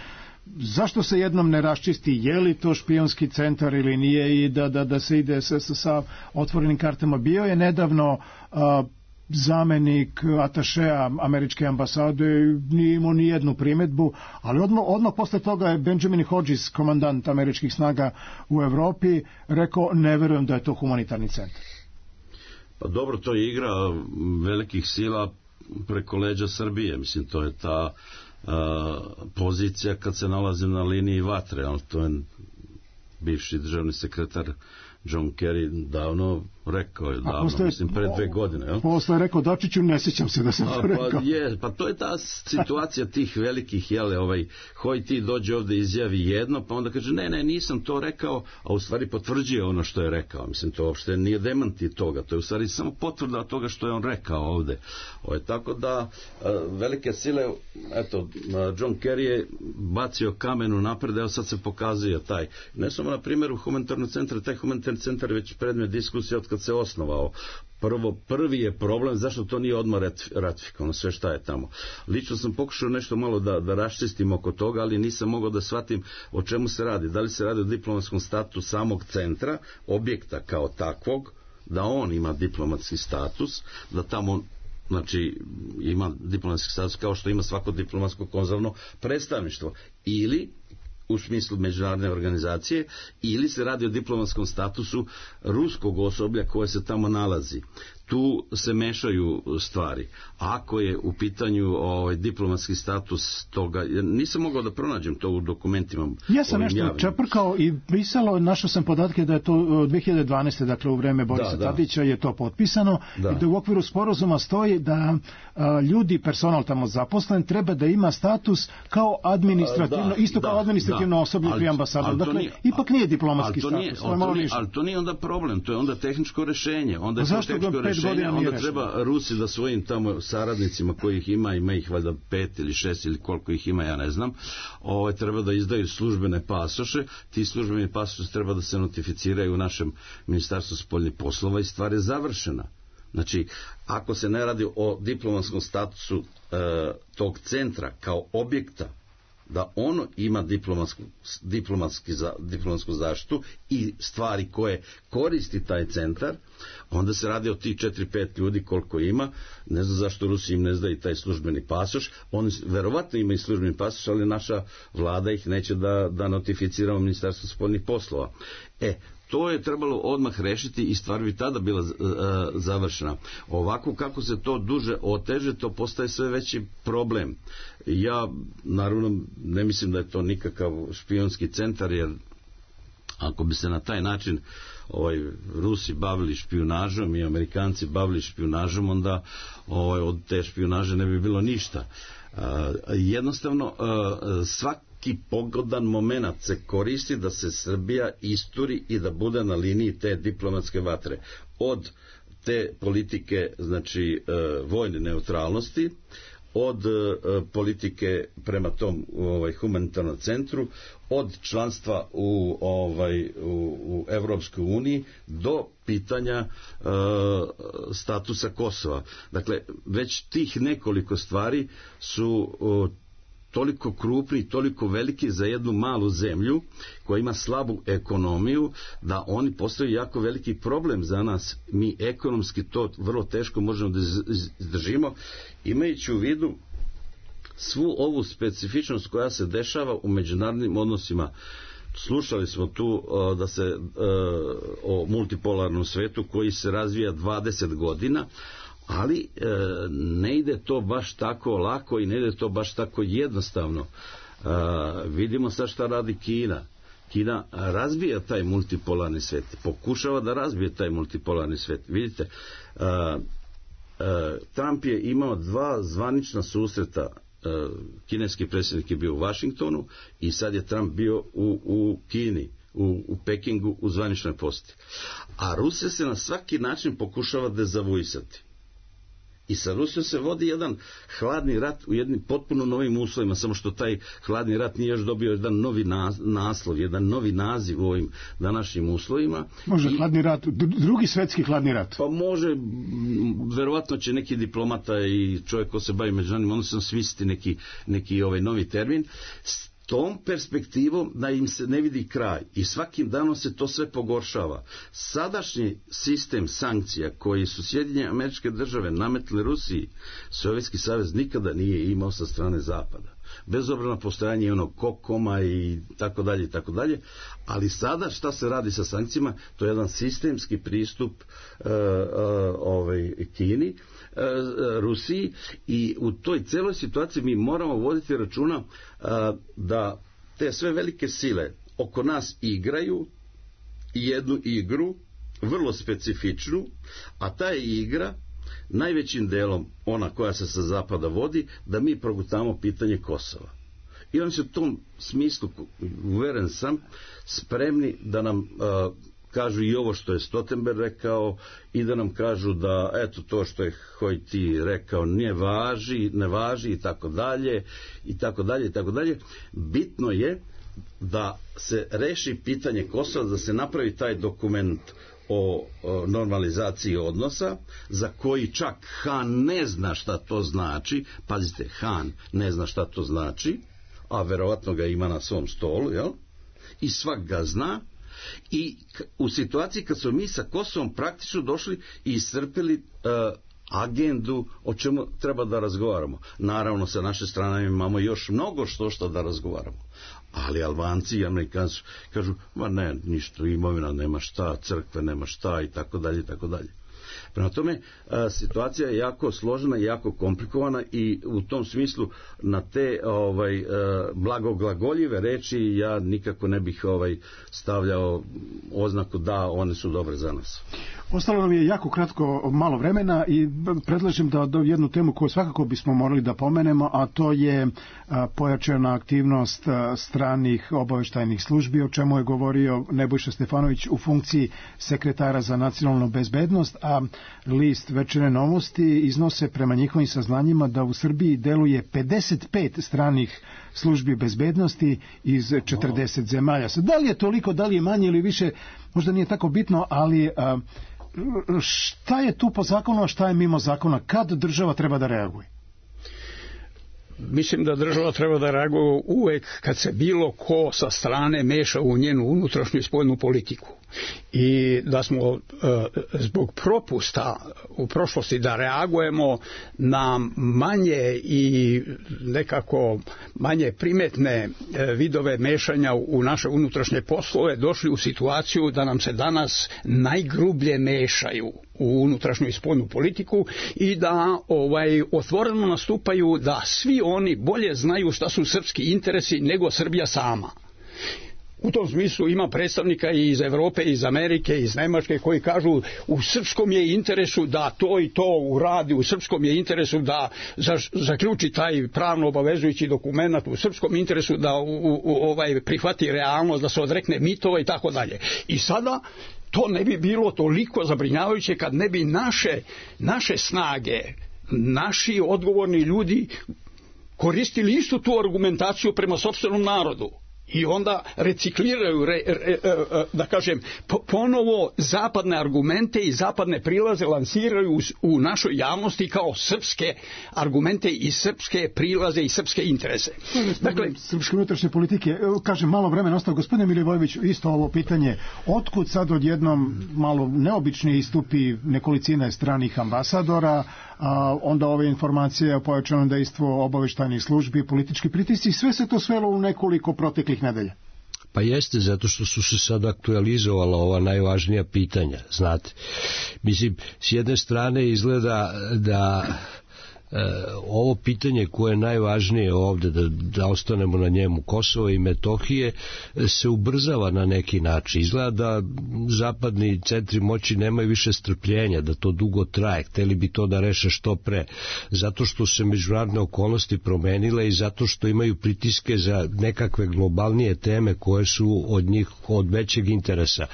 Zašto se jednom ne raščisti je li to špijunski centar ili nije i da se ide sa otvorenim kartama? Bio je nedavno zamenik atašeja američke ambasade, nije imao ni jednu primetbu, ali odmah posle toga je Benjamin Hodges, komandant američkih snaga u Evropi, rekao ne verujem da je to humanitarni centar. Pa dobro, to je igra velikih sila preko leđa Srbije, mislim, to je ta pozicija kad se nalazi na liniji vatre, ali to je bivši državni sekretar John Kerry davno rekao je, mislim, pre 2 godine. Posle je rekao Dačiću, ne sjećam se da sam to rekao. Pa to je ta situacija tih velikih, Hoj ti dođe ovde izjavi jedno, pa onda kaže, ne, nisam to rekao, a u stvari potvrđuje ono što je rekao. Mislim, to uopšte nije demanti toga, to je u stvari samo potvrda toga što je on rekao ovde. Tako da, velike sile, eto, John Kerry je bacio kamenu napred, evo sad se pokazuje taj. Ne samo na primjeru humanitarnog centra, taj humanitarni centar je već predmet diskusije od kad se osnovao. Prvi je problem zašto to nije odmah ratifikovano, sve šta je tamo. Lično sam pokušao nešto malo da raščistim oko toga, ali nisam mogao da shvatim o čemu se radi. Da li se radi o diplomatskom statusu samog centra, objekta kao takvog, da on ima diplomatski status, da tamo ima diplomatski status kao što ima svako diplomatsko konzularno predstavništvo, ili u smislu međunarodne organizacije, ili se radi o diplomatskom statusu ruskog osoblja koje se tamo nalazi. Tu se mešaju stvari. Ako je u pitanju diplomatski status toga, nisam mogao da pronađem to u dokumentima. Ja sam nešto čeprkao i pisalo, našao sam podatke da je to 2012. dakle u vreme Borisa Tadića je to potpisano i da u okviru sporazuma stoji da ljudi, personal tamo zaposlen, treba da ima status kao administrativno, kao administrativno osoblje pri ambasadu. Dakle, ipak nije diplomatski status. Ali to nije onda problem, to je onda tehničko rešenje. Onda je to tehničko rešenje, onda treba Rusi da svojim tamo saradnicima kojih ima ih valjda 5 ili 6 ili koliko ih ima, ja ne znam, treba da izdaju službene pasoše. Ti službeni pasoši treba da se notificiraju u našem Ministarstvu spoljnih poslova i stvar je završena. Znači, ako se ne radi o diplomatskom statusu tog centra kao objekta, da ono ima diplomatsku zaštitu i stvari koje koristi taj centar, onda se radi o tih 4-5 ljudi koliko ima. Ne znam zašto Rusi im ne zdaju taj službeni pasoš. Oni verovatno imaju službeni pasoš, ali naša vlada ih neće da notificira u Ministarstvu spoljnih poslova. To je trebalo odmah rešiti i stvar bi tada bila završena. Ovako kako se to duže oteže, to postaje sve veći problem. Ja naravno ne mislim da je to nikakav špijunski centar, jer ako bi se na taj način Rusi bavili špijunažom i Amerikanci bavili špijunažom, onda od te špijunaže ne bi bilo ništa. Jednostavno svaki pogodan moment se koristi da se Srbija isturi i da bude na liniji te diplomatske vatre. Od te politike, znači vojne neutralnosti, od politike prema tom humanitarnom centru, od članstva u Evropskoj uniji do pitanja statusa Kosova. Dakle, već tih nekoliko stvari su toliko krupni, toliko veliki za jednu malu zemlju koja ima slabu ekonomiju, da oni postaju jako veliki problem za nas. Mi ekonomski to vrlo teško možemo da izdržimo, imajući u vidu svu ovu specifičnost koja se dešava u međunarodnim odnosima. Slušali smo tu da se o multipolarnom svetu koji se razvija 20 godina, ali ne ide to baš tako lako i ne ide to baš tako jednostavno. Vidimo sad šta radi Kina. Kina razbija taj multipolarni svet, pokušava da razbije taj multipolarni svet. Vidite, Trump je imao 2 zvanična susreta. Kineski predsjednik je bio u Vašingtonu i sad je Trump bio u Kini, u Pekingu u zvaničnoj posjeti. A Rusija se na svaki način pokušava dezavuisati. I sa Rusijom se vodi jedan hladni rat u jednim potpuno novim uslovima, samo što taj hladni rat nije još dobio jedan novi naslov, jedan novi naziv u ovim današnjim uslovima. Može hladni rat, drugi svetski hladni rat? Pa može, verovatno će neki diplomata i čovjek ko se bavi međunarodnim odnosima smisliti neki novi termin. S tom perspektivom da im se ne vidi kraj i svakim danom se to sve pogoršava. Sadašnji sistem sankcija koji su Sjedinjene Američke Države nametli Rusiji, Sovjetski savez nikada nije imao sa strane Zapada. Bez obzira na postojanje onog kokoma i tako dalje, ali sada šta se radi sa sankcijama, to je jedan sistemski pristup Kini, Rusiji, i u toj celoj situaciji mi moramo voditi računa da te sve velike sile oko nas igraju jednu igru vrlo specifičnu, a ta je igra najvećim delom ona koja se sa zapada vodi, da mi progutamo pitanje Kosova. I oni su u tom smislu, uveren sam, spremni da nam kažu i ovo što je Stoltenberg rekao i da nam kažu da eto to što je Hojti rekao ne važi i tako dalje. Bitno je da se reši pitanje Kosova, da se napravi taj dokument o normalizaciji odnosa, za koji čak Han ne zna šta to znači. Pazite, Han ne zna šta to znači, a verovatno ga ima na svom stolu, jel? I svak ga zna. I u situaciji kad smo mi sa Kosovom praktično došli i iscrpili agendu o čemu treba da razgovaramo. Naravno, sa naše strane imamo još mnogo što da razgovaramo. Ali Albanci i Amerikanci kažu, ma ne, ništa, imovina nema šta, crkve nema šta i tako dalje. Prema tome, situacija je jako složena i jako komplikovana i u tom smislu na te blagoglagoljive reči ja nikako ne bih stavljao oznaku da one su dobre za nas. Ostalo nam je jako kratko malo vremena i predlažem da jednu temu koju svakako bismo morali da pomenemo, a to je pojačana aktivnost stranih obaveštajnih službi, o čemu je govorio Nebojša Stefanović u funkciji sekretara za nacionalnu bezbednost, a list Večernje novosti iznose prema njihovim saznanjima da u Srbiji deluje 55 stranih službi bezbednosti iz 40 zemalja. Da li je toliko, da li je manje ili više, možda nije tako bitno, ali šta je tu po zakonu, a šta je mimo zakona? Kad država treba da reaguje? Mislim da država treba da reaguje uvek kad se bilo ko sa strane meša u njenu unutrašnju i spoljnu politiku. I da smo zbog propusta u prošlosti da reagujemo na manje i nekako manje primetne vidove mešanja u naše unutrašnje poslove došli u situaciju da nam se danas najgrublje mešaju u unutrašnju i spoljnu politiku i da otvoreno nastupaju da svi oni bolje znaju šta su srpski interesi nego Srbija sama. U tom smislu ima predstavnika i iz Evrope, iz Amerike, iz Nemačke koji kažu u srpskom je interesu da to i to uradi, u srpskom je interesu da zaključi taj pravno obavezujući dokument, u srpskom interesu da prihvati realnost, da se odrekne mitova i tako dalje. I sada to ne bi bilo toliko zabrinjavajuće kad ne bi naše snage, naši odgovorni ljudi koristili istu tu argumentaciju prema sopstvenom narodu. i onda recikliraju, da kažem, ponovo zapadne argumente i zapadne prilaze lansiraju u našoj javnosti kao srpske argumente i srpske prilaze i srpske interese. Dakle, srpske unutrašnje politike, kažem, malo vremena ostalo. Gospodine Milivojević, isto ovo pitanje, otkud sad odjednom malo neobični istupi nekolicine stranih ambasadora, onda ove informacije o pojačanom dejstvu obaveštajnih službi, politički pritisci, sve se to svelo u nekoliko proteklih nedelja. Pa jeste, zato što su se sad aktualizovala ova najvažnija pitanja, znate. Mislim, s jedne strane izgleda da ovo pitanje koje je najvažnije ovde, da ostanemo na njemu, Kosovo i Metohije, se ubrzava na neki način. Izgleda da zapadni centri moći nemaju više strpljenja, da to dugo traje, hteli bi to da reše što pre, zato što se međunarodne okolnosti promenile i zato što imaju pritiske za nekakve globalnije teme koje su od njih od većeg interesa.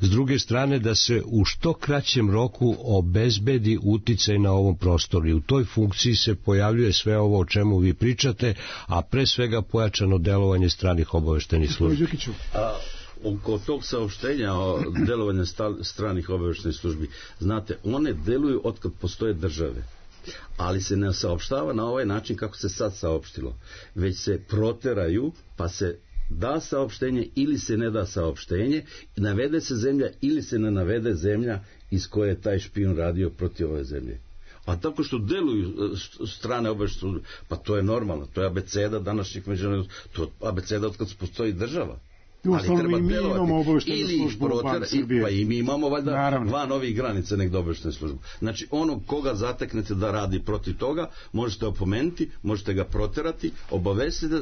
S druge strane, da se u što kraćem roku obezbedi uticaj na ovom prostoru i u toj funkciji se pojavljuje sve ovo o čemu vi pričate, a pre svega pojačano delovanje stranih obaveštajnih službi. Oko tog saopštenja o delovanju stranih obaveštajnih službi, znate, one deluju otkad postoje države, ali se ne saopštava na ovaj način kako se sad saopštilo, već se proteraju, pa se da saopštenje ili se ne da saopštenje, navede se zemlja ili se ne navede zemlja iz koje je taj špijun radio protiv ove zemlje. A tako što deluju strane obaveštajne službe, pa to je normalno, to je abeceda današnjih međunarodnih, to je abeceda od kad postoji država. Ali treba delovati ili pa i mi imamo valjda van ovih granica nekda obaveštajne službe. Znači onog koga zateknete da radi protiv toga, možete opomenuti, možete ga proterati, obavestiti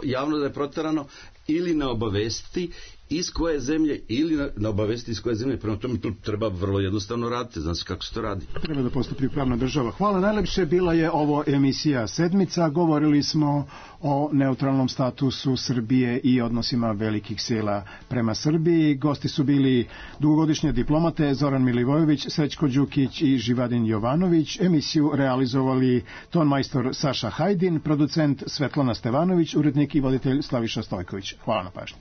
javno da je proterano ili ne obavestiti iz koje zemlje ili ne obavesti iz koje zemlje. Prema tome to treba vrlo jednostavno raditi. Znam se kako se to radi. Treba da postupi pravna država. Hvala najlepše. Bila je ovo emisija Sedmica. Govorili smo o neutralnom statusu Srbije i odnosima velikih sila prema Srbiji. Gosti su bili dugogodišnje diplomate Zoran Milivojević, Srećko Đukić i Živadin Jovanović. Emisiju realizovali tonmajstor Saša Hajdin, producent Svetlana Stevanović, urednik i voditelj Slaviša Stojković. Hvala na pažnji.